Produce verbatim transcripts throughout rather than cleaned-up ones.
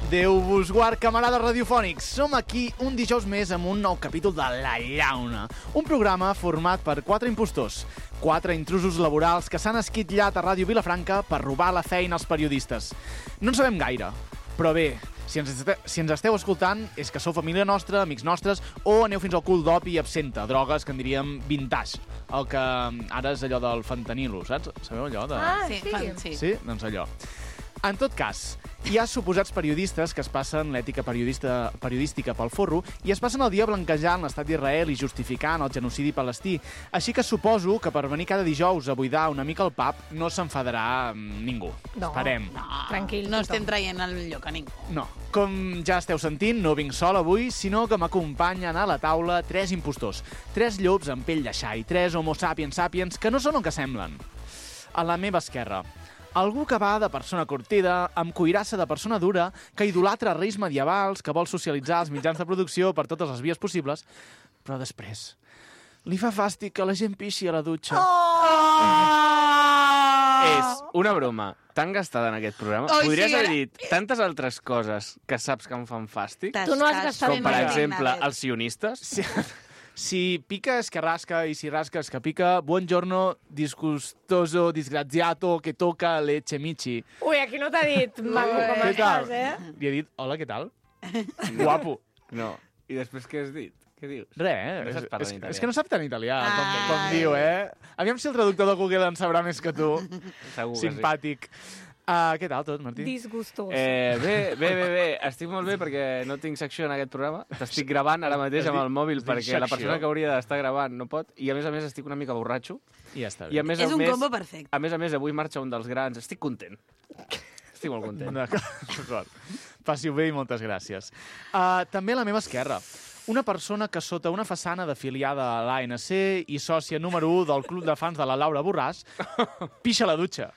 Déu vos guard, camarades radiofònics. Som aquí un dijous més amb un nou capítol de La Llauna, un programa format per quatre impostors, quatre intrusos laborals que s'han esquitllat a Ràdio Vilafranca per robar la feina als periodistes. No en sabem gaire, però bé, si ens, este, si ens esteu escoltant és que sou família nostra, amics nostres, o aneu fins al cul d'opi i absenta, drogues que en diríem vintage, el que ara és allò del fentanilo, saps? Sabeu allò? De... Ah, sí. Sí. Sí? Doncs allò. En tot cas, hi ha suposats periodistes que es passen l'ètica periodista, periodística pel forro i es passen el dia blanquejant l'estat d'Israel i justificant el genocidi palestí. Així que suposo que per venir cada dijous a buidar una mica el pub no s'enfadarà ningú. No, Esperem. no, tranquil. No estem traient el lloc a ningú. No. Com ja esteu sentint, no vinc sol avui, sinó que m'acompanyen a la taula tres impostors. Tres llops amb pell de xai, tres homo sapiens sapiens que no són el que semblen. A la meva esquerra, algú que va de persona curtida, amb cuirassa de persona dura, que idolatra reis medievals, que vol socialitzar els mitjans de producció per totes les vies possibles, però després li fa fàstic que la gent pixi a la dutxa. Oh! És una broma tan gastada en aquest programa. Oh, Podries sí, haver era... dit tantes altres coses que saps que em fan fàstic, Tu no has gastat com per mai. exemple els sionistes. Si, si pica es que rasca i si rasca es que pica, buongiorno, disgustoso, disgraziato, que toca leche michi. Ui, aquí no t'ha dit maco com Què tal? estàs, eh? Li he dit, hola, què tal? Guapo. No. I després què has dit? Què dius? Res, eh? No saps parlar és, en italià. és que no sap tant italià, com, Ah, com diu, eh? Aviam si el traductor de Google en sabrà més que tu. Segur que Simpàtic. Uh, què tal tot, Martí? Disgustós. Eh, bé, bé, bé, bé. Estic molt bé perquè no tinc secció en aquest programa. T'estic gravant ara mateix amb el mòbil es diu perquè la secció? persona que hauria d'estar gravant no pot. I a més a més estic una mica borratxo. I ja està I a bé. més És a un més, combo perfecte. a més a més, avui marxa un dels grans. Estic content. Estic molt content. D'acord. Passi-ho bé i moltes gràcies. Uh, també a la meva esquerra, una persona que sota una façana d'afiliada a l'A N C i sòcia número u del club de fans de la Laura Borràs, pixa a la dutxa.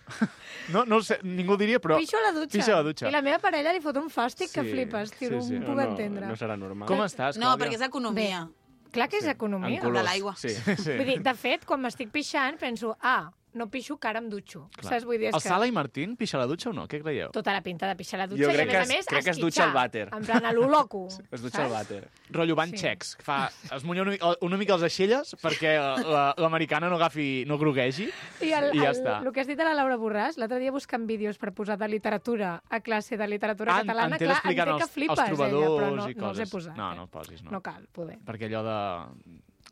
No, no ho sé, ningú ho diria, però... Pixo a la dutxa. Pixa a la dutxa. I la meva parella li fot un fàstic que Sí, flipes, tio, sí, no sí. ho No, puc no, entendre. no serà normal. Com estàs, No, Clàudia? perquè és economia. Clar que és economia. En colors. De l'aigua. Sí. Sí. Vull dir, de fet, quan m'estic pixant, penso, ah, no pixo, que ara em dutxo. Clar. Saps? Vull dir, és El que... Sala i Martín pixa a la dutxa o no? Què creieu? Tota la pinta de pixar a la dutxa Jo i, a crec més que a es- més, crec que es dutxa al vàter. En plan, a lo loco. Es dutxa al vàter. Rotllo van Sí. xecs. Fa, es mulla una, mica- una mica els aixelles perquè la- l'americana no agafi, no groguegi. I, el, I ja el, està. el que has dit a la Laura Borràs, l'altre dia buscant vídeos per posar de literatura a classe de literatura Ah, en- catalana, en té clar, explicant entenc que els- flipes, els trobadors ella, però no, i no els he coses. posat. No, eh? no posis, no. No cal, poder. Perquè allò de...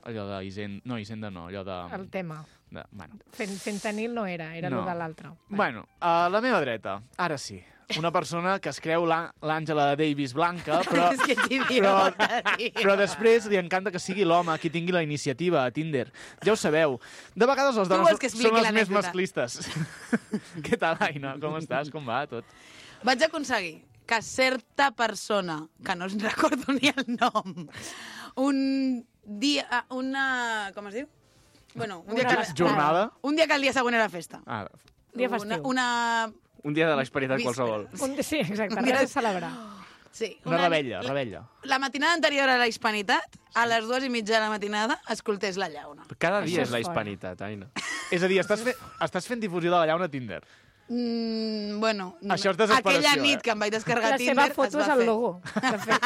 allò de Hisenda... No, Hisenda no, allò de... El tema. de bueno. Fent, fentanil no era, era No. no. de l'altre. bueno, a la meva dreta, ara sí, una persona que es creu l'À- l'Àngela Davis blanca, però, És que t'hi però, tio. però després li encanta que sigui l'home qui tingui la iniciativa a Tinder. Ja ho sabeu, de vegades les Tu dones vols que expliqui són les més l'anècdota? masclistes. Què tal, Aina? Com estàs? Com va tot? Vaig aconseguir que certa persona, que no ens recordo ni el nom, un dia... Una... com es diu? Bueno, un dia Una que... jornada? Un dia que el dia següent era festa. Ah, Dia Una, festiu. una... Un dia de l'asperitat Víspera. qualsevol. Un, sí, exacte, Un dia- res a celebrar. Sí, una rebella, rebella. La matinada anterior a la hispanitat, a les dues i mitja de la matinada, escoltés la llauna. Cada Això dia és és la fort. hispanitat, Aina. És a dir, estàs, fe estàs fent difusió de la llauna a Tinder. Mm, bueno, Això és desesperació, aquella eh? nit que em vaig descarregar La Tinder seva foto es és va el fer. logo, de fet.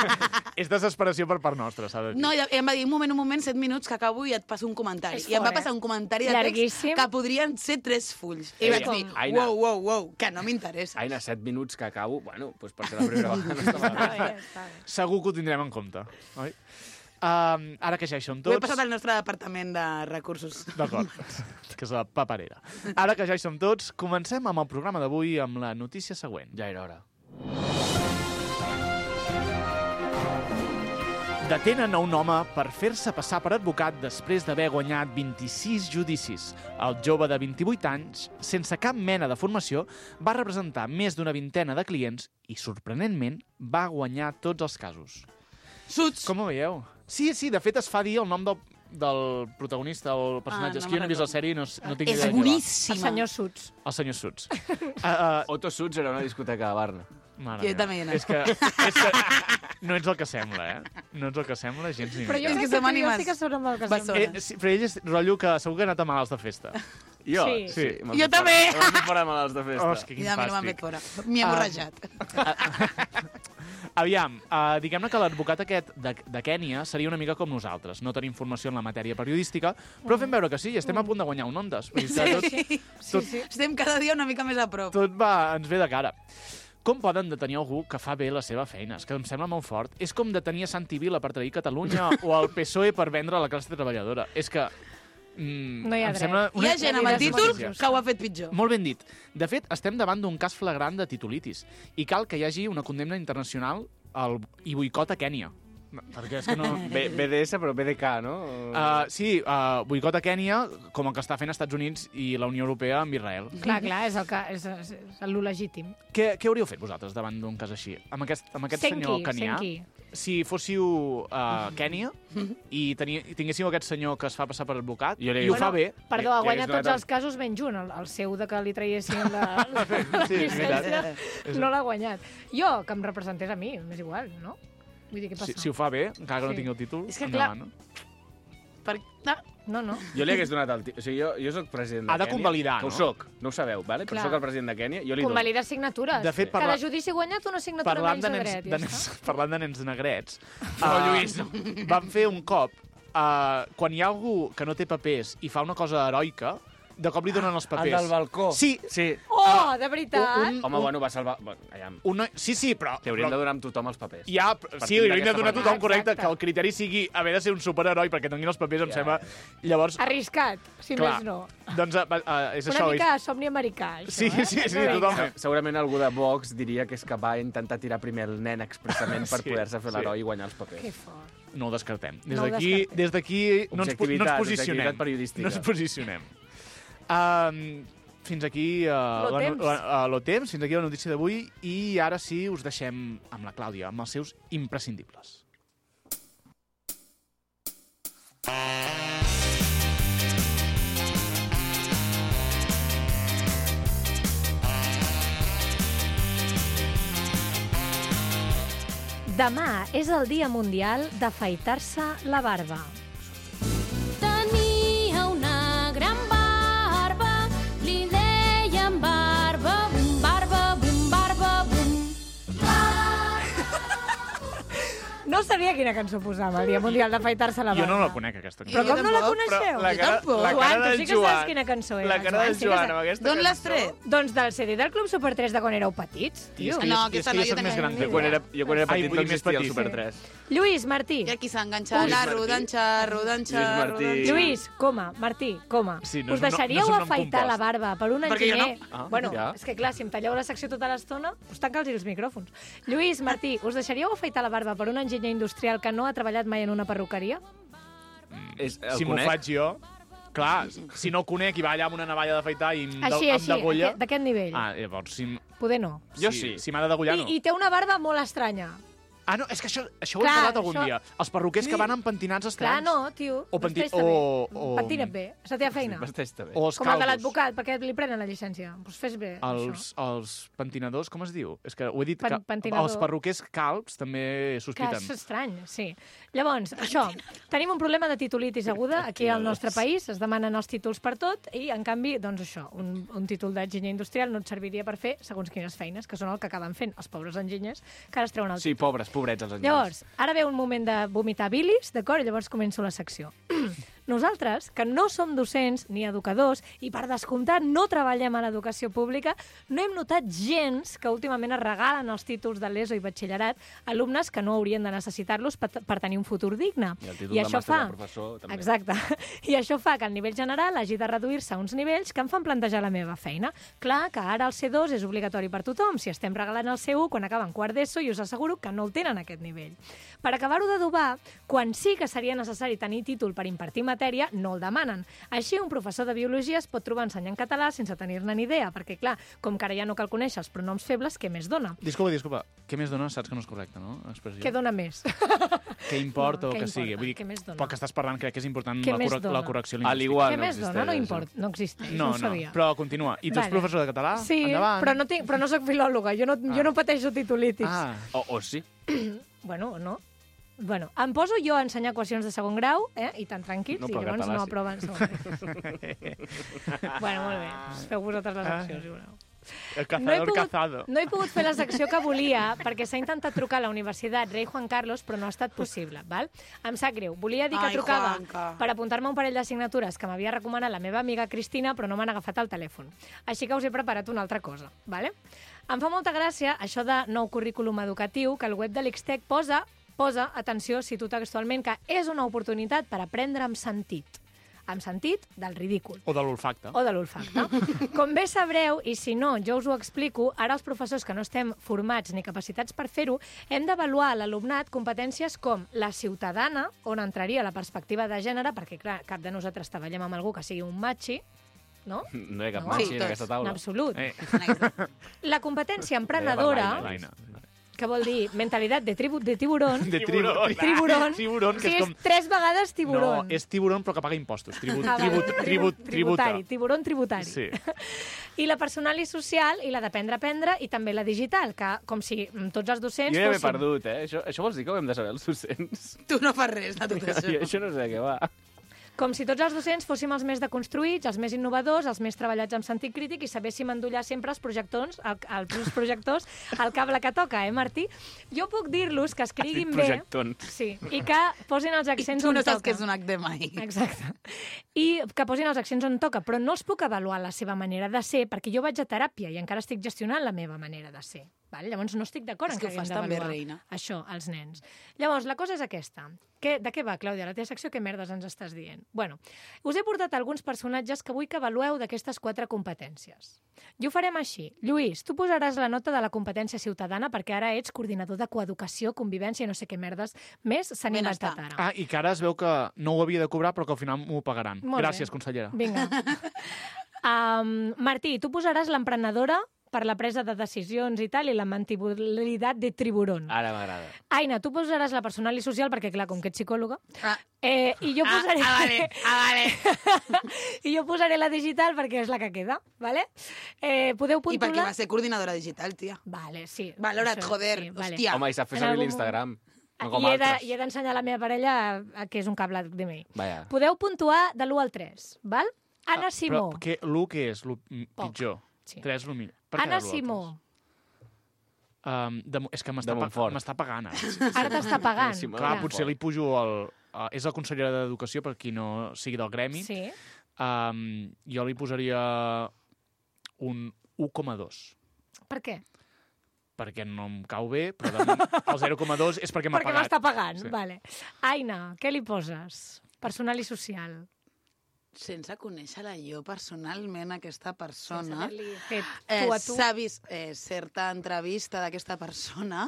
És desesperació per part nostra, s'ha de dir. No, i em va dir, un moment, un moment, set minuts que acabo i et passo un comentari. És I em va fort, eh? passar un comentari de Llarguíssim. text que podrien ser tres fulls. I Ei, vaig dir, Aina. wow, wow, wow, que no m'interessa. Aina, set minuts que acabo, bueno, doncs per ser la primera vegada no està Està malament. bé, està bé. Segur que ho tindrem en compte, oi? Um, ara que ja hi som Ho he tots... passat al nostre departament de recursos. D'acord, que és la paperera. Ara que ja hi som tots, comencem amb el programa d'avui amb la notícia següent. Ja era hora. Detenen a un home per fer-se passar per advocat després d'haver guanyat vint-i-sis judicis. El jove de vint-i-vuit anys, sense cap mena de formació, va representar més d'una vintena de clients i, sorprenentment, va guanyar tots els casos. Suts! Com ho veieu? Sí, sí, de fet es fa dir el nom del, del protagonista o el personatge. Ah, no és que jo no he vist la me'n sèrie i no, no tinc És idea de qui va. El boníssima. senyor Suts. El senyor Suts. Uh, uh, Otto Suts era una discoteca a Barna. mare Jo meva. també hi he anat. És que, és que no ets el que sembla, eh? No ets el que sembla, gens ni Però jo És crec que que, som tu i jo ànimes sí que són amb el que bessones. sembla. Eh, sí, però ell és rotllo que segur que ha anat a malalts de festa. Jo? Sí. Sí. me'n Jo fot també. fora- Me'n fot fora malalts de festa. Oh, és que I quin a mi no m'han fàstic. fet fora. M'hi he Ah. borrejat. Aviam, uh, diguem-ne que l'advocat aquest de, de Kènia seria una mica com nosaltres. No tenim formació en la matèria periodística, però fem veure que sí, i estem a punt de guanyar un Ondas. Vull dir que tot, Sí, tot, sí. Estem cada dia una mica més a prop. tot va, ens ve de cara. Com poden detenir algú que fa bé la seva feina? És que em sembla molt fort. És com detenir a Santi Vila per trair Catalunya o el P S O E per vendre a la classe treballadora. És que... Mm, No hi ha em dret. sembla Hi ha gent amb el títol notícia. que ho ha fet pitjor. Molt ben dit. De fet, estem davant d'un cas flagrant de titulitis i cal que hi hagi una condemna internacional al, i boicot a Kènia. Perquè és que no... B D S, però B D K, no? Uh, sí, uh, boicot a Kènia, com el que està fent Estats Units i la Unió Europea amb Israel. Clar, clar, és el que és, és, és el legítim. Què, què hauríeu fet vosaltres davant d'un cas així? Amb aquest, amb aquest Sent senyor qui, canià? sent qui? Si fóssiu a uh, Kènia i, teni, i tinguéssiu aquest senyor que es fa passar per advocat Jo li- i ho fa bé... Perdó, ha Ja guanyat hagués tots donat els casos menys un. El, el seu de que li traiessin la, la Sí, és veritat. llicència no l'ha guanyat. Jo, que em representés a mi, m'és igual, no? Vull dir, què passa? Si, si ho fa bé, encara que no Sí. tingui el títol, És que, endavant, clar, no? Per... No. No, no. Jo li hagués donat el... O sigui, jo, jo soc president de Ha de Kènia. convalidar, que no? ho soc, no ho sabeu, vale? però Clar. soc el president de Kènia. Jo li dono. Convalidar signatures. De fet, Cada parla- judici guanyat una signatura Parlant menys de de nens, dret. de Ja nens, està. parlant de nens negrets, uh, Lluís, vam fer un cop, uh, quan hi ha algú que no té papers i fa una cosa heroica, de cop li donen els El papers. del balcó. Sí. Sí. Oh, de veritat? Un- Home, bueno, va salvar... Bueno, allà, Un noi... Sí, sí, però... li hauríem però... de donar amb tothom els papers. Ja, Partint sí, li hauríem de d'aquesta donar a manera. tothom correcte, Exacte. que el criteri sigui haver de ser un superheroi perquè tinguin els papers, em Ja, sembla... ja. Llavors, Arriscat, si clar, més no. doncs uh, uh, és Una això. mica somni americà, això, Sí, eh? sí, sí, Una mica. totalment. Se- Segurament algú de Vox diria que és que va intentar tirar primer el nen expressament per Sí, poder-se fer sí. l'heroi i guanyar els papers. Que fort. No ho descartem. Des No ho d'aquí descartem. des d'aquí no, ens, po- no ens Objectivitat, posicionem. objectivitat periodística. No ens posicionem. Um, fins aquí uh, Lo la, temps. la, uh, lo temps, fins aquí la notícia d'avui i ara sí us deixem amb la Clàudia, amb els seus imprescindibles. Demà és el Dia Mundial d'afaitar-se la barba. Tenia una gran barba, li deien barba, bum, barba, bum, barba, bum. No sabia quina cançó posava, el Dia Mundial d'afaitar-se la barba. Jo no la conec, aquesta. Però Jo com no la tampoc, coneixeu? la Jo cara, tampoc. la Joan, cara tu del sí que Joan. saps quina cançó era. La cara Joan, del sí que Joan saps. amb aquesta D'on cançó. l'has tret? Doncs del C D del Club Super tres de quan éreu petits, I tio. és que No, jo, aquesta és que no, jo jo soc més tenia gran ni que Jo quan era, jo quan era Ai, petit vull no dir més existia el petit. Super tres. Lluís, Martí. I aquí s'enganxa Lluís la rodan, xarro, dan, Lluís xarro, Martí. dan, Lluís, coma, Martí, coma. Sí, no Us és un nom- deixaríeu no és un nom afaitar la compost. barba per un Perquè jo no. enginyer? Ah, bueno, ja. és que clar, si em talleu la secció tota l'estona, doncs tanca'ls els micròfons. Lluís, Martí, us deixaríeu afaitar la barba per un enginyer industrial que no ha treballat mai en una perruqueria? És, el Si m'ho conec? faig jo... Clar, si no el conec i va allà amb una navalla d'afaitar i em, Així, de, així, em degolla... aquest- d'aquest nivell. Ah, llavors, si, Poder no. Jo si, sí. Si m'ha de degollar, no. I, I té una barba molt estranya. Ah, no, és que això, això ho Clar, he parlat algun això- dia. Els perruquers que van amb pentinats Clar, estranys. no, tio. O penti- vesteix-te bé. o- o- Pentina't bé, és la teva feina. Vesteix-te bé. O els Com el de calvos. l'advocat, perquè li prenen la llicència. Doncs fes bé, Els, això. els pentinadors, com es diu? És que ho he dit, Pen- que pentinador. els perruquers calbs també Que sospiten. és estrany, sí. Llavors, això, tenim un problema de titulitis aguda aquí al nostre país, es demanen els títols per tot i, en canvi, doncs això, un, un títol d'enginyer industrial no et serviria per fer segons quines feines, que són el que acaben fent els pobres enginyers, que ara es treuen el Sí, títol. pobres, pobrets els enginyers. Llavors, ara ve un moment de vomitar bilis, d'acord? I llavors començo la secció. Nosaltres, que no som docents ni educadors i, per descomptat, no treballem a l'educació pública, no hem notat gens que últimament es regalen els títols de l'ESO i batxillerat a alumnes que no haurien de necessitar-los per, per tenir un futur digne. I el títol de màster de professor, també. Exacte. I això fa que el nivell general hagi de reduir-se a uns nivells que em fan plantejar la meva feina. Clar que ara el C dos és obligatori per tothom, si estem regalant el C u quan acaben quart d'ESO i us asseguro que no el tenen a aquest nivell. Per acabar-ho d'adobar, quan sí que seria necessari tenir títol per impartir matèria, no el demanen. Així, un professor de biologia es pot trobar ensenyant català sense tenir-ne ni idea, perquè, clar, com que ara ja no cal conèixer els pronoms febles, què més dona? Disculpa, disculpa. Què més dona? Saps que no és correcte, no? Expressió. Què dona més? Què importa No, o què que sigui. importa? Vull dir, Què més dona? pel que estàs parlant, crec que és important Què la, més corre dona? la correcció Al lingüística. igual Què no més dona? No existeix, importa, no existeix, no, No, ho no, sabia. però continua. I tu ets Vale. professor de català? Sí, Endavant. però no, tinc, però no soc filòloga, jo no, ah. jo no pateixo titulitis. Ah, O, o sí. Bueno, no. Bueno, em poso jo a ensenyar equacions de segon grau, eh? I tan tranquils, No, i però llavors català no sí. aproven segon grau. Bueno, molt bé. Feu vosaltres les accions, si voleu. El No he, cazador pogut, cazado. no he pogut fer la secció que volia perquè s'ha intentat trucar a la Universitat Rei Juan Carlos, però no ha estat possible. Val? Em sap greu. Volia dir que Ai, trucava Juanca. per apuntar-me un parell d'assignatures que m'havia recomanat la meva amiga Cristina, però no m'han agafat el telèfon. Així que us he preparat una altra cosa. Vale? Em fa molta gràcia això de nou currículum educatiu, que el web de l'Ixtec posa, posa, atenció, cito textualment, que és una oportunitat per aprendre amb sentit. Amb sentit del ridícul. O de l'olfacte. O de l'olfacte. Com bé sabreu, i si no, jo us ho explico, ara els professors que no estem formats ni capacitats per fer-ho, hem d'avaluar a l'alumnat competències com la ciutadana, on entraria la perspectiva de gènere, perquè, clar, cap de nosaltres treballem amb algú que sigui un matxi, no? No hi ha cap No. matxi Sí, en tots. aquesta En taula. absolut. Eh, La competència Deia emprenedora, per l'Aina. que vol dir mentalitat de, tribu, de tiburón, De tiburón. tiburón, Tiburón, que sí, és com... és tres vegades No, tiburón. és tiburón però que paga impostos. Tribut, Ah, vale. tribut, tribut, tributa. Tributari, tiburón tributari. Sí. I la personal i social, i la d'aprendre a aprendre, i també la digital, que com si mm, tots els docents Jo ja m'he fossin... perdut, eh? Això, això vols dir que ho hem de saber els docents? Tu no fas res de tot Jo això. això no sé de què va. Com si tots els docents fóssim els més deconstruïts, els més innovadors, els més treballats amb sentit crític i sabéssim endollar sempre els projectors, el, els projectors al cable que toca, eh, Martí? Jo puc dir-los que escriguin bé... Projectons. Sí, i que posin els I accents tu on no saps toca. que és un H D M I. Exacte. I que posin els accents on toca, però no els puc avaluar la seva manera de ser, perquè jo vaig a teràpia i encara estic gestionant la meva manera de ser. Val? Llavors no estic d'acord És en que que ho fas haguem tan bé, d'avaluar reina. això, als nens. Llavors, la cosa és aquesta. Que, de què va, Clàudia, la teva secció? Què merdes ens estàs dient? Bueno, us he portat alguns personatges que vull que avalueu d'aquestes quatre competències. I ho farem així. Lluís, tu posaràs la nota de la competència ciutadana perquè ara ets coordinador de coeducació, convivència i no sé què merdes més s'han Benestar. inventat ara. Ah, i que ara es veu que no ho havia de cobrar, però que al final m'ho pagaran. Molt bé. Gràcies, consellera. Vinga. um, Martí, tu posaràs l'emprenedora per la presa de decisions i tal, i la mantibilitat de tiburón. Ara m'agrada. Aina, tu posaràs la personal i social, perquè, clar, com que ets psicòloga, Ah, eh, i jo ah, posaré... ah, vale, ah, vale. I jo posaré la digital perquè és la que queda, vale? Eh, podeu I puntular... perquè va ser coordinadora digital, tia. Vale, sí. Valora't, això, joder, sí, vale. hòstia. Home, i sap fer En servir algun l'Instagram. No com I he de- altres. I he d'ensenyar a la meva parella a, a que és un cable de mi. Vaja. Podeu puntuar de l'u al tres, val? Anna Ah, Simó. Però què, l'u què és? L'u Poc. pitjor. Sí. Tres, l'u millor. Per què Anna de l'u al Simó. Um, de, és que m'està De pa, Montfort. m'està pagant ara. Ara t'està pagant. Sí, Clar, Ja. potser li pujo el... Uh, és la consellera d'Educació, per qui no sigui del gremi. Sí. Um, jo li posaria un u coma dos. Per què? Perquè no em cau bé, però de moment el zero coma dos és perquè m'ha Perquè pagat. m'està pagant, Sí. vale. Aina, què li poses? Personal i social. Sense conèixer-la jo personalment, aquesta persona, Haver-li fet eh, tu a tu. s'ha vist eh, certa entrevista d'aquesta persona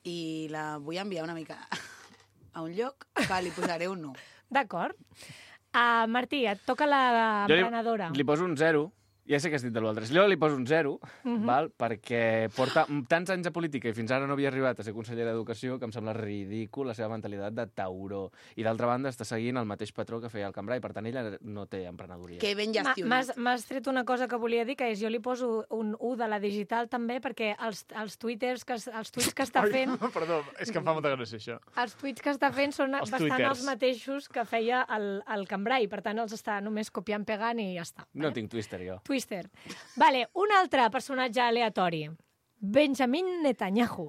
i la vull enviar una mica a un lloc que li posaré un u. D'acord. Uh, Martí, et toca la Jo li, emprenedora. li poso un zero. Ja sé que has dit de l'altre. Jo li poso un zero, Mhm. val? Perquè porta tants anys de política i fins ara no havia arribat a ser consellera d'Educació que em sembla ridícul la seva mentalitat de tauró. I d'altra banda està seguint el mateix patró que feia el Cambrai, per tant ella no té emprenedoria. Que ben Ma- gestionat. M'has m'has tret una cosa que volia dir, que és jo li poso un u de la digital també, perquè els, els twitters que, es- els tuits que està fent Perdó, és que em fa molta gràcia això. els tuits que està fent són Els bastant twitters. els mateixos que feia el, el Cambrai, per tant els està només copiant, pegant i ja està. No tinc Twitter, jo. Twister. Vale, un altre personatge aleatori. Benjamin Netanyahu.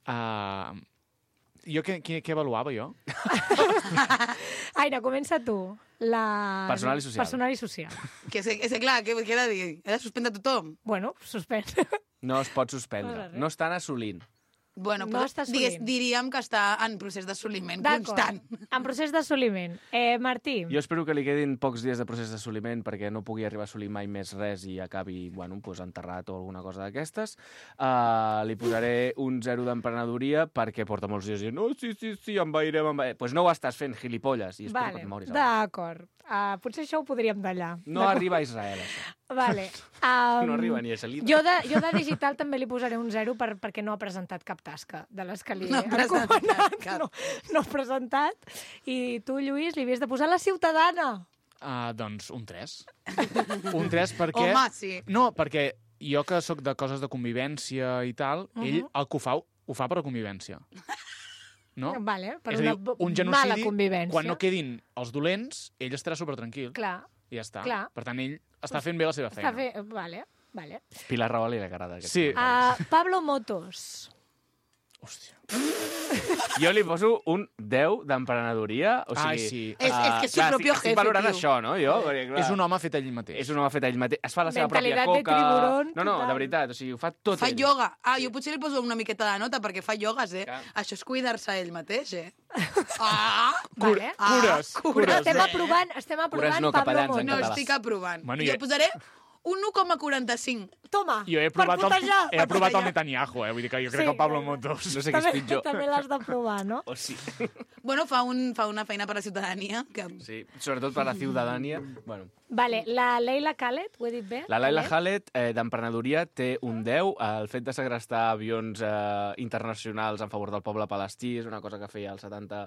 Uh, jo què, què, què avaluava, jo? Aina, comença tu. La... Personal i social. Personal i social. Que, és, és clar, què, què he de dir? He de suspendre tothom? Bueno, suspens. No es pot No suspendre. res. No estan assolint. Bueno, No però està digues, assolint. diríem que està en procés d'assoliment D'acord. constant. En procés d'assoliment. Eh, Martí, Jo espero que li quedin pocs dies de procés d'assoliment perquè no pugui arribar a assolir mai més res i acabi, bueno, pues, enterrat o alguna cosa d'aquestes. Uh, li posaré un zero d'emprenedoria perquè porta molts dies dient no, sí, sí, sí, envairem, envairem. Pues no ho estàs fent, gilipolles, i espero vale, que et moris. abans. d'acord. Uh, potser això ho podríem tallar. No arriba a Israel, això. Vale. Um, No arriba ni a Salida. Jo de, jo de digital també li posaré un zero per, perquè no ha presentat cap tasca de les que li No ha he presentat encomanat. cap. No, no ha presentat. I tu, Lluís, li havies de posar la ciutadana. Uh, doncs un tres. Un tres perquè... Home, sí. No, perquè jo que sóc de coses de convivència i tal, uh -huh. ell el que ho fa, ho fa per a convivència. No? Vale, per És a una dir, un mala genocidi, convivència. quan no quedin els dolents, ell estarà supertranquil. Clar. I ja està. Clar. Per tant, ell està fent bé la seva feina. Està fe... Vale, vale. Pilar Rahola li agrada aquest. Sí. Uh, Pablo Motos. Hòstia. Jo li poso un deu d'emprenedoria. O sigui, Ai, sí. És- és que és su clar, propio estic, jefe, estic valorant tio. això, no? Jo, perquè, clar, És un home fet ell mateix. És un home fet ell mateix. Es fa la seva pròpia Mentalitat de coca... tiburón, no, no, total. de veritat. O sigui, ho fa tot Fa ell. ioga. Ah, jo potser li poso una miqueta de nota perquè fa iogues, eh? Clar. Això és cuidar-se ell mateix, eh? Ah! Vale. Ah, Cures, cures. Estem eh? aprovant, estem aprovant no, Pablo capellans en Motos. No, català. estic aprovant. Bueno, jo jo- posaré un u coma quaranta-cinc. Toma, Jo he per provat, el, putejar. he aprovat el Netanyahu, eh? Vull dir que jo crec Sí. que el Pablo Motos... No sé què és També, pitjor. també l'has de provar, no? O sí. Bueno, fa, un, fa una feina per la ciutadania. Que... Sí, sobretot per la ciutadania. Bueno, Vale, la Leila Khaled, ho he dit bé? la Laila Khaled? Khaled, eh, d'emprenedoria, té un deu. El fet de segrestar avions eh, internacionals en favor del poble palestí és una cosa que feia als setanta.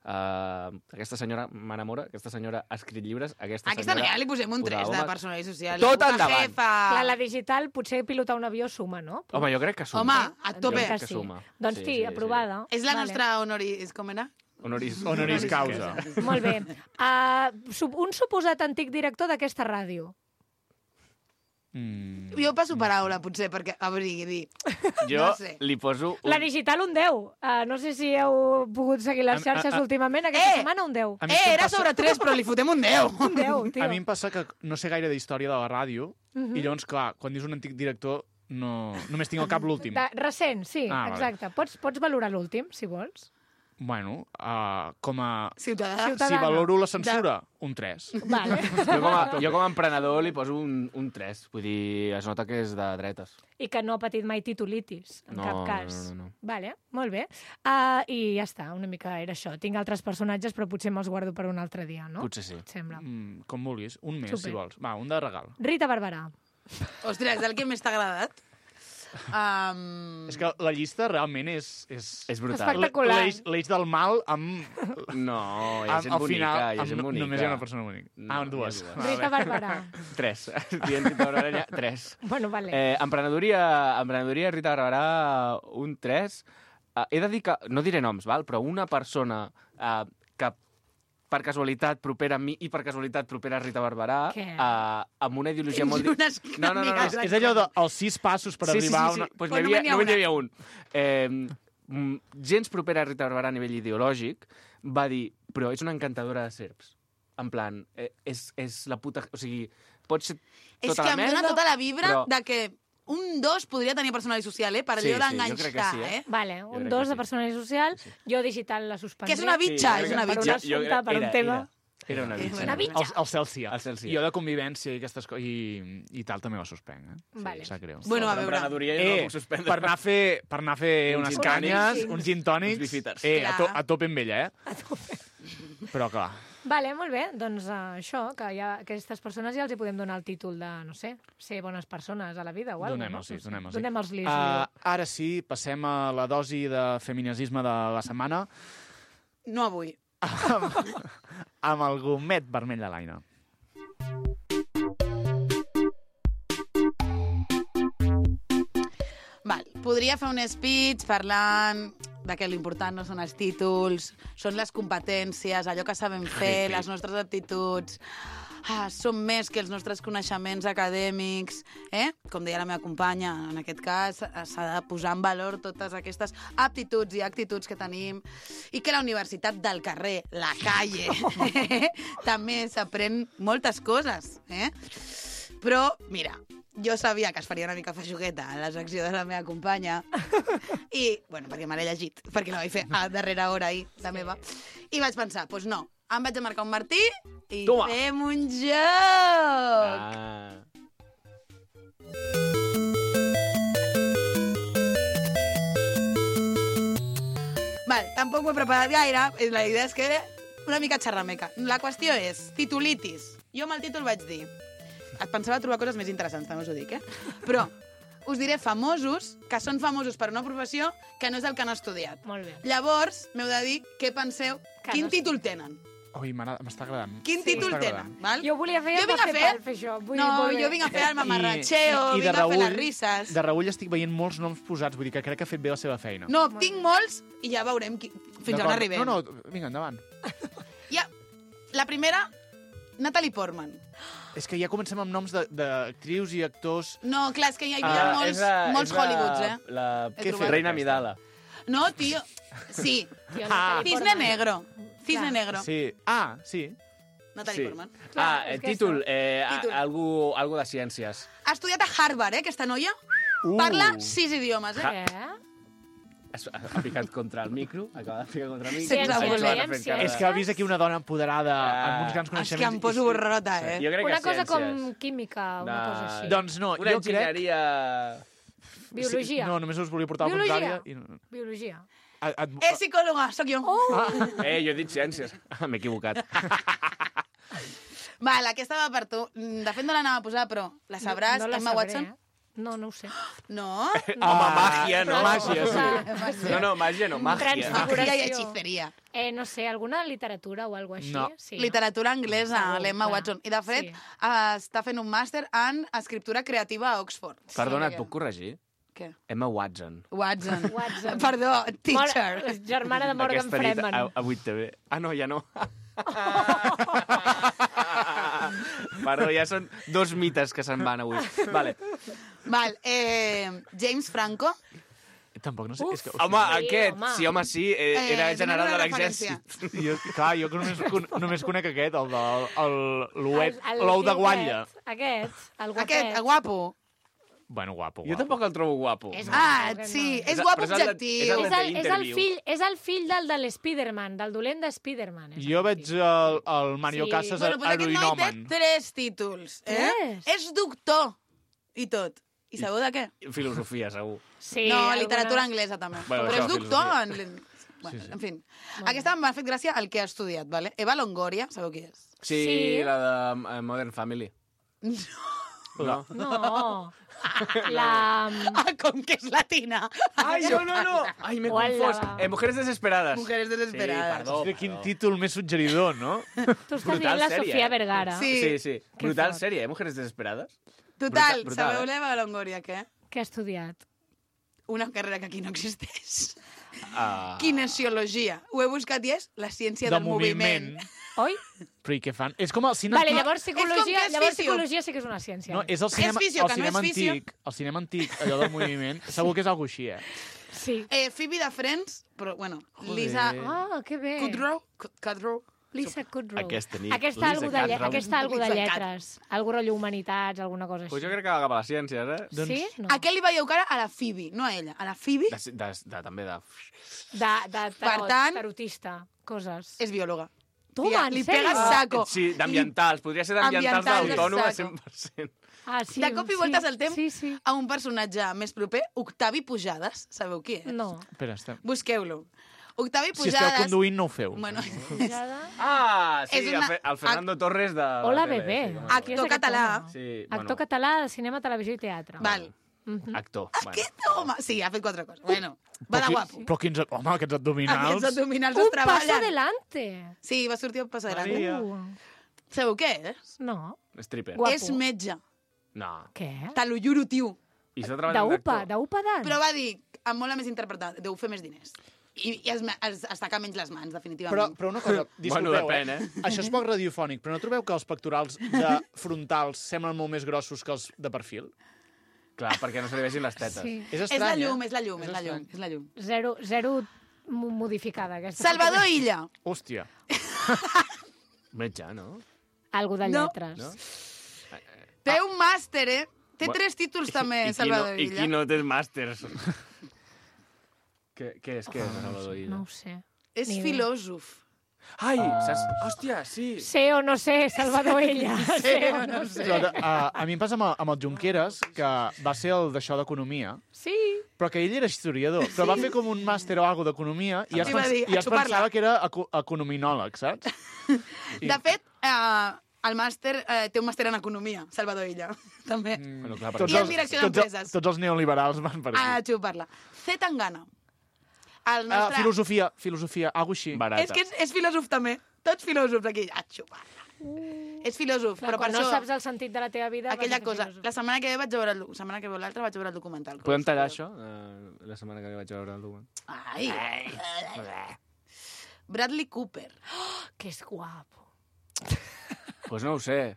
Eh, aquesta senyora m'enamora, aquesta senyora ha escrit llibres. Aquesta, Aquesta senyora ja li posem un tres posava de homes. personal i social. Tot Puta endavant. jefa. Clar, la digital, potser pilotar un avió suma, no? Home, jo crec que suma. Home, a Jo tope. crec que sí. suma. Doncs Sí, sí, sí, sí. aprovada. És la Vale. nostra honoris... Com era? Honoris, Honoris causa. Molt bé. Uh, sup- un suposat antic director d'aquesta ràdio. Mm. Jo passo paraula, potser, perquè... A veure, dir... Jo No sé. li poso... Un... La digital, un deu. Uh, no sé si heu pogut seguir les Am- xarxes a- a- últimament. Aquesta Eh! setmana, un deu. A mi és Eh, que em era passa- sobre tres, però li fotem un deu. Un deu, tio. A mi em passa que no sé gaire d'història de la ràdio Mhm. i llavors, clar, quan dius un antic director no... només tinc al cap l'últim. De, recent, sí, Ah, vale. exacte. Pots, pots valorar l'últim, si vols. Bueno, uh, com a... Ciutadà. Ciutadà. Si valoro la censura, un tres. Vale. Jo com, a, jo com a emprenedor li poso un, un tres. Vull dir, es nota que és de dretes. I que no ha patit mai titulitis, en No, cap no, cas. no, no, no. Vale, molt bé. Uh, I ja està, una mica era això. Tinc altres personatges, però potser me'ls guardo per un altre dia, no? Potser sí. Et sembla. Mm, com vulguis. Un més, Super. si vols. Va, un de regal. Rita Barberà. Ostres, el que més t'ha agradat? Um... És que la llista realment és... És, És brutal. Espectacular. l'eix l'eix del mal amb... No, hi ha amb gent al bonica, final, hi ha amb, gent bonica. només hi ha una persona bonica. No, Ah, hi ha dues. dues. Ah, Rita bé. Barberà. Tres. Dient Rita Barberà, tres. Bueno, vale. Eh, emprenedoria, emprenedoria, Rita Barberà, un tres. Uh, he de dir que, no diré noms, val? Però una persona uh, que per casualitat propera a mi i per casualitat propera a Rita Barberà, Què? uh, amb una ideologia Tens molt... di- unes No, no, no, no, amigues És allò dels sis passos per sí, sí, arribar sí, sí. a una... Pues Però n'hi havia, només n'hi ha només n'hi una. havia un. Eh, mm, gens propera a Rita Barberà a nivell ideològic va dir, però és una encantadora de serps. En plan, eh, és, és la puta... O sigui, pot ser És tota que la em dona merda, tota la vibra però- de que un dos podria tenir personalitat social, eh? Per Sí, allò sí, jo crec que d'enganxar, sí, eh? eh? Vale, Jo un crec dos que de sí. personalitat social, Sí, sí. jo digital la suspendré. Que és una bitxa, jo és crec- una per bitxa. un assumpte, per un era, tema. Era, era una bitxa. Una bitxa. El, el Celsià. El Celsià. I jo de convivència i aquestes coses, i, i tal, també la suspenc, eh? Vale. Sap greu. Bueno, a Per veure... emprenedoria jo Eh, no puc suspendre. per anar a fer, per anar a fer Uns unes gin canyes, tònics. uns gin tònics, Uns bifiters. eh, a, to, Clar. a tope amb ella, eh? A tope. Però clar, Vale, molt bé. Doncs uh, això, que ja, aquestes persones ja els hi podem donar el títol de, no sé, ser bones persones a la vida o alguna cosa. donem-los, sí, donem-los. Donem-los lis. Uh, ara sí, passem a la dosi de feminisme de la setmana No avui. amb el gomet vermell de l'Aina. Val, podria fer un speech parlant de que l'important no són els títols, són les competències, allò que sabem fer, sí. les nostres aptituds. Ah, som més que els nostres coneixements acadèmics, eh? Com deia la meva companya, en aquest cas s'ha de posar en valor totes aquestes aptituds i actituds que tenim i que la universitat del carrer, la calle, eh? també s'aprèn moltes coses, eh? Però, mira, jo sabia que es faria una mica feixugueta a la secció de la meva companya i, bueno, perquè me l'he llegit, perquè la vaig fer a darrera hora ahir, la meva, i vaig pensar, doncs pues no, em vaig a marcar un martí i Toma. fem un joc! Ah. Val, tampoc ho he preparat gaire, la idea és que una mica xerrameca. La qüestió és, titulitis. Jo amb el títol vaig dir... Et pensava trobar coses més interessants, també us ho dic, eh? Però us diré famosos que són famosos per una professió que no és el que han estudiat. Molt bé. Llavors, m'heu de dir què penseu, Que quin no- títol tenen. Ui, m'agrada- m'està agradant. Quin Sí. títol M'està tenen, agradant. val? Jo volia fer Jo vinc a per fer- fer, fer això. Vull, No, molt bé. jo vinc a fer el mamarratxeo, I- i de vinc a fer les reüll- risses. De reull estic veient molts noms posats, vull dir que crec que ha fet bé la seva feina. No, tinc molts i ja veurem qui... fins on D'acord. arribem. No, no, vinga, endavant. Ja, la primera Natalie Portman. És que ja comencem amb noms de- d'actrius i actors... No, clar, és que hi ha, hi ha Ah, molts, és la- molts és la- Hollywoods, eh? La He trobat. Reina Midala. No, tio. Sí. Tio, Ah. Natalie Cisne Portman. Negro. Cisne Clar. Negro. Sí. Ah, sí. Natalie Portman. Clar, Ah, és el que títol, això- eh, a- Títol. algú, algú de ciències. Ha estudiat a Harvard, eh, aquesta noia. Uh. Parla sis idiomes, eh? Eh? Es- Ha, ha picat contra el micro, acaba de picar contra el micro. Sense Ha voler. fet cara, fet cara. És que ha vist aquí una dona empoderada Ah. amb uns grans És que coneixements. em poso i- borrota, eh? Jo crec Una que cosa com ciències. química, una De- cosa així. Doncs no, Una jo crec... enginyeria... Biologia. Sí, no, només us volia portar al Biologia. contrari. I... Biologia. A, a, És psicòloga, sóc jo. Oh! Eh, jo he dit ciències. Ah, m'he equivocat. Val, aquesta va per tu. De fet, no l'anava a posar, però la sabràs, no la Emma sabré, Watson? Eh? No, no ho sé. No? Home, màgia, no? Però- màgia, sí. No, no, màgia no, màgia. Transfiguració. Magia i hechiceria. Eh, no sé, alguna literatura o alguna així? No. Sí, Literatura anglesa, Segur, l'Emma clar. Watson. I, de fet, Sí. eh, està fent un màster en escriptura creativa a Oxford. Perdona, Sí, et puc corregir? Què? Emma Watson. Watson. Watson. Perdó, teacher. Mor germana de Morgan Aquesta nit Freeman. a, a vuit T V. Ah, no, ja no. Perdó, ja són dos mites que se'n van avui. Vale. Val, eh, James Franco. Tampoc no sé... Uf. És que, Home, Sí, aquest, home. sí, home, sí, eh, Eh, era donem general una de referència. l'exèrcit. jo, clar, jo que només, con, només conec aquest, el de el- l'ouet, El- el l'ou de tio guatlla. Aquest, aquest, el guapet. Aquest, el guapo. Bueno, guapo, Jo guapo. tampoc el trobo guapo. És Ah, guapo, sí, aquest és el- guapo però és el de- objectiu. és el És de el, és, el Interview. fill, és el fill del de l'Spiderman, del dolent de Spiderman. és Jo el veig fill. el, el Mario Sí. Casas Bueno, pues aquest noi té heroinomen. tres títols. Eh? Tres? És doctor i tot. I sabeu de què? Filosofia, segur. Sí, no, alguna- literatura anglesa també. Bueno, Però això, és doctor filosofia. en... Bueno, en fi. Aquesta m'ha fet gràcia el que ha estudiat, vale? Eva Longoria, sabeu qui és? Sí, Sí. la de eh, Modern Family. No. No. La... Ah, com que és latina. Ai, no, no, no. Ai, m'he Hola. confós. Eh, Mujeres desesperades. Mujeres desesperades. Sí, perdó. Hòstia, quin perdó. títol més suggeridor, no? Tu estàs dient la sèrie, Sofia eh? Vergara. Sí. Sí, sí. Que Brutal fort. sèrie, eh? Mujeres desesperades. Total, Brutal, brutal, sabeu eh? l'Eva Longoria, què? Què ha estudiat? Una carrera que aquí no existeix. Ah. Kinesiologia. Ho he buscat i és la ciència De del moviment. moviment. Oi? Però i què fan? És com el cinema... Vale, llavors com psicologia, que és llavors fisio. psicologia sí que és una ciència. No, és el cinema, fisio, el que no cinema és fisio. antic, el cinema antic, allò del moviment, segur que és algo així, eh? Sí. Eh, Phoebe de Friends, però, bueno, Joder. Lisa Ah, que bé. Kudrow. Kut- Kudrow. Lisa Kudrow. Aquesta nit. Aquesta Lisa algo de, lle Kudrow. aquesta algo de Lisa lletres. Algo rotllo humanitats, alguna cosa així. Pues jo crec que va cap a les ciències, eh? Doncs- Sí? No. A què li veieu cara? A la Phoebe, no a ella. A la Phoebe De, de, de, també de... De, de tarot, Per tant- tarotista, coses. és biòloga. Toma, Tia, en li sèrio? pega saco. Sí, d'ambientals. Podria ser d'ambientals Ambientals, d'autònoma exacte. cent per cent. Ah, sí, De cop i sí, voltes al temps Sí, sí. a un personatge més proper, Octavi Pujades. Sabeu qui és? No. Espera, estem... Busqueu-lo. Octavi Si esteu Pujades... conduint, no ho feu. Bueno, Pujada. Ah, sí, És una- el, Fe- el Fernando Torres de... la Hola, tele, bebè. sí, com a- Actor Qui és aquest català. home? Sí, Actor català de cinema, televisió i teatre. val. Mhm. Actor. Aquest home... Sí, ha fet quatre coses. Bueno, va de qui- guapo. Però quins... Home, aquests abdominals... Aquests abdominals Un es paso treballen. adelante. Sí, va sortir un paso adelante. Maria. Uh, Sabeu què és? no. Stripper. Guapo. És metge. No. Què? Te lo juro, tio. I està treballant D'UPA, d'actor. d'UPA d'ant. Però va dir, amb molt més interpretat, deu fer més diners. I, i es, es, es taca menys les mans, Però, definitivament. però una cosa, disculpeu, Bueno, depèn, eh? Això és poc radiofònic, però no trobeu que els pectorals de frontals semblen molt més grossos que els de perfil? Clar, perquè no se li vegin les tetes. Sí. És És estrany, la llum, eh? és la llum, és la estrany. llum, és la llum. Zero, zero mo- modificada, aquesta. Salvador Illa. Hòstia. Metge, no? Algo de No. lletres. No? Té un màster, eh? Té Bu- tres títols I també, qui Salvador no, I Illa. qui no té màsters? què, què és, què és, Salvador Illa? No ho sé. És Ni idea. filòsof. Ai, saps? Hòstia, sí. Sé o no sé, Salvador Illa. sé o no sé. Però, a, a mi em passa amb, el- amb el Junqueras, que va ser el d'això d'economia, Sí. però que ell era historiador, però va fer com un màster o alguna d'economia i es, I va pens dir, i a es xupar-la. pensava que era eco econominòleg, saps? I- De fet, eh, el màster eh, té un màster en economia, Salvador Illa, també. Mm. Bueno, clar, Tots I en els, direcció tots, d'empreses. els, tots els neoliberals van per A aquí. xupar-la. Z Tangana. El Ah, nostre... filosofia, filosofia, algo així. barata. És que és, és filòsof també. Tots filòsofs aquí. A xupar-la. Uh. És filòsof, Clar, però per quan no això... saps el sentit de la teva vida... Aquella vas a fer cosa. filosofia. La setmana que ve vaig veure el, la setmana que ve l'altra vaig veure el documental. Podem tallar això? Uh, la setmana que ve vaig veure el document. Ai. Bradley Cooper. Que és guapo. Pues no ho sé.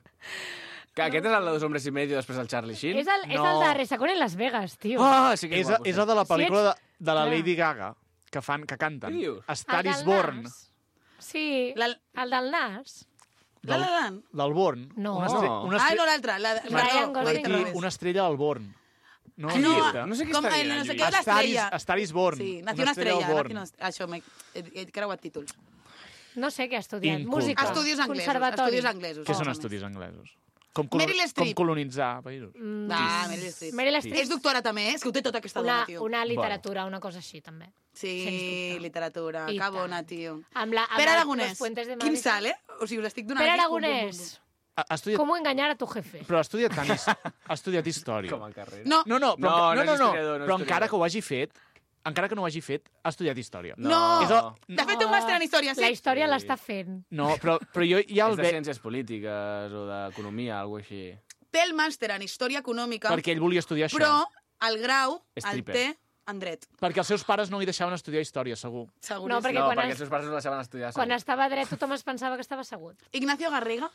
Que aquest és el de Dos hombres y medio després del Charlie Sheen? És el, és No. el de Resacón en Las Vegas, tio. Ah, sí que És, és guapo. és el de la Si pel·lícula de, ets- de la Clar. Lady Gaga, que fan, que canten. Què dius? A Star El is del Born. Nas. Sí, La- el del Nas. La La Land. Del Born. No. Una, estre No. una, Ah, estre no, l'altra. La... Ryan Perdó, Gosling. ho he dit al aquí, revés. una estrella del Born. No, Ah, no, no, No sé què com, està el, dient, no sé el què, Lluís. l'estrella. A Star is Born. Sí, Una nació una estrella estrella. del Born. nació una- Això, m'he he, he creuat títols. No sé què ha estudiat. Inculta. Música. Estudis anglesos. Conservatori. Estudis anglesos. Què són més o menys. estudis anglesos? Com, colo Meryl com Streep. colonitzar països. Mm, Ah, Meryl Streep. Meryl Streep. És doctora també, eh? És que ho té tota aquesta Una, dona, tio. una literatura, una cosa així, també. Sí, Sens dubte. literatura. I Que tant. bona, tio. Amb la, amb Pere la- Aragonès. Los Puentes de Quin Madrid. salt, eh? O sigui, us estic donant... Pere aquí, pum, pum, Aragonès. Ha, ha estudiat, ¿Cómo engañar a tu jefe? però ha estudiat tant, his- ha estudiat història. Com a carrera. pum. No, No, no, però, No, no, no no, és no, historiador, no és però encara historiador. que ho hagi fet, encara que no ho hagi fet, ha estudiat història. no. És el- De fet, té un màster en història, sí. La història Sí. l'està fent. No, però, però jo ja És el de veig... ciències polítiques o d'economia, alguna cosa així. Té el màster en història econòmica, Perquè ell volia estudiar això. però el grau el Stripper. té en dret. Perquè els seus pares no li deixaven estudiar història, segur. Seguríssim. No, perquè no, quan perquè es- els seus pares no la saben estudiar. Quan segur. estava dret tothom es pensava que estava assegut. Ignacio Garriga.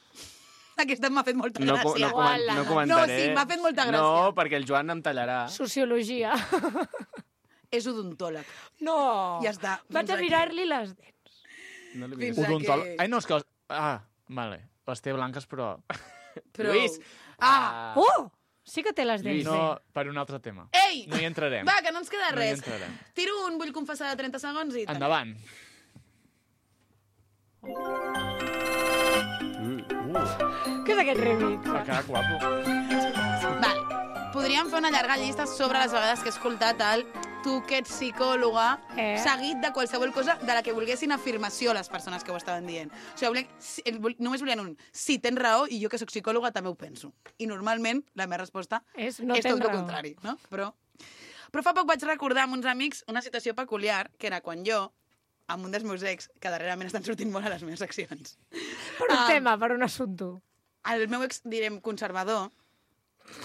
Aquesta m'ha fet molta No, co- gràcia. no, comen Uala. no No, comentaré. sí, m'ha fet molta gràcia. No, perquè el Joan em tallarà. Sociologia. És odontòleg. No. Ja està. Vaig Fins a aquí. mirar-li les dents. No l'he Fins vist. aquí. Odontòleg. Ai, no, és que... Les... Ah, vale. Les té blanques, però... Però... Lluís. Ah! Oh! Sí que té les dents. Lluís. No, per un altre tema. Ei! No hi entrarem. Va, que no ens queda No hi res. entrarem. Tiro un vull confessar de trenta segons i... Endavant. Què és aquest remix? Ha quedat guapo. Val. Podríem fer una llarga llista sobre les vegades que he escoltat el tu que ets psicòloga, Eh? seguit de qualsevol cosa de la que volguessin afirmació les persones que ho estaven dient. O sigui, volia, si, el vol- només volien un sí, tens raó, i jo que sóc psicòloga també ho penso. I normalment la meva resposta És no és tens tot el raó. contrari, no? Però, però fa poc vaig recordar amb uns amics una situació peculiar, que era quan jo, amb un dels meus ex, que darrerament estan sortint molt a les meves seccions, Per un Ah. tema, per un assumpte. el meu ex, direm, conservador,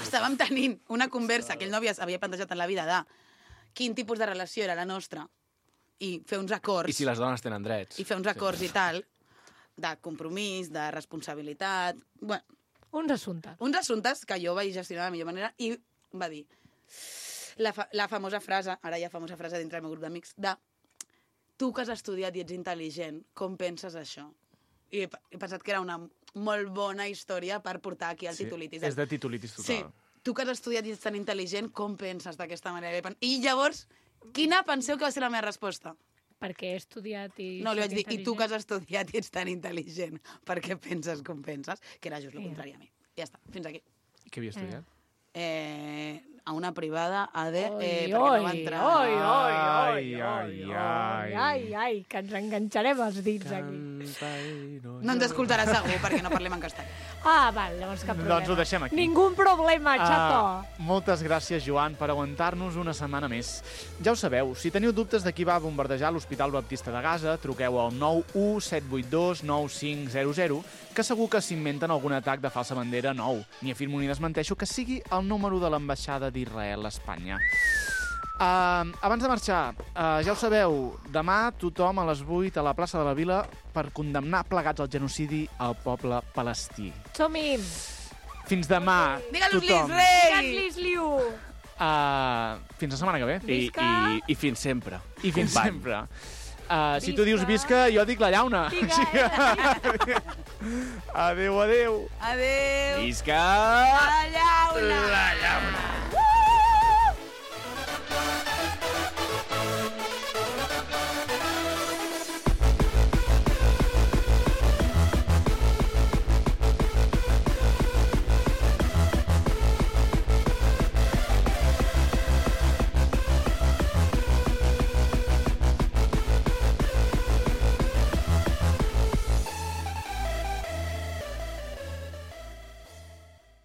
estàvem tenint una conversa que ell no havia, havia plantejat en la vida de quin tipus de relació era la nostra i fer uns acords I si les dones tenen drets. i fer uns acords i tal, de compromís, de responsabilitat... Bueno, Uns assumptes. uns assumptes que jo vaig gestionar de la millor manera i va dir la, fa la famosa frase, ara hi ha famosa frase dintre del meu grup d'amics, de tu que has estudiat i ets intel·ligent, com penses això? I he, he pensat que era una molt bona història per portar aquí el titulitis. És de titulitis total. Sí, tu que has estudiat i ets tan intel·ligent, com penses d'aquesta manera? I pen- I llavors, quina penseu que va ser la meva resposta? Perquè he estudiat i... No, li soc vaig dir, i tu que has intel·ligent. estudiat i ets tan intel·ligent, per què penses com penses? Que era just el Ja. contrari a mi. Ja està, fins aquí. Què havia estudiat? Eh, a una privada, A D, Oi, eh, perquè oi, no va entrar. oi, oi, oi, Ai, oi, ai, oi, ai. ai, ai, que ens enganxarem els dits aquí. No ens escoltarà segur, perquè no parlem en castellà. Ah, val, llavors cap problema. Doncs ho deixem aquí. Ningú problema, xato. Ah, moltes gràcies, Joan, per aguantar-nos una setmana més. Ja ho sabeu, si teniu dubtes de qui va bombardejar l'Hospital Baptista de Gaza, truqueu al nou u set vuit dos nou cinc zero zero, que segur que s'inventen algun atac de falsa bandera nou. Ni afirmo ni desmenteixo que sigui el número de l'ambaixada d'Israel a Espanya. Uh, abans de marxar, uh, ja ho sabeu, demà tothom a les vuit a la plaça de la Vila per condemnar plegats al genocidi al poble palestí. Som-hi. Fins demà, Digue-los-lis, tothom. rei! Gat-lis, liu. Uh, fins la setmana que ve. I, Visca. i, I fins sempre. I fins Company. sempre. Uh, si tu Visca. dius visca, jo dic la llauna. Digue. Adéu, adéu. Adéu! Visca! La llauna! La llauna!